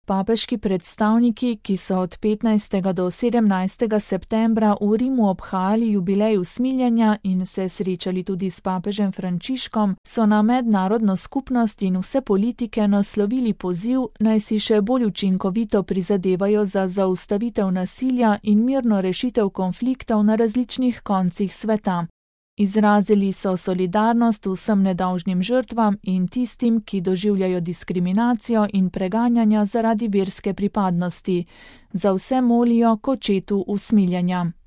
Papeški predstavniki, ki so od 15. do 17. septembra v Rimu obhajali jubilej usmiljenja in se srečali tudi s papežem Frančiškom, so na mednarodno skupnost in vse politike naslovili poziv, naj si še bolj učinkovito prizadevajo za zaustavitev nasilja in mirno rešitev konfliktov na različnih koncih sveta. Izrazili so solidarnost vsem nedolžnim žrtvam in tistim, ki doživljajo diskriminacijo in preganjanja zaradi verske pripadnosti. Za vse molijo k očetu usmiljenja.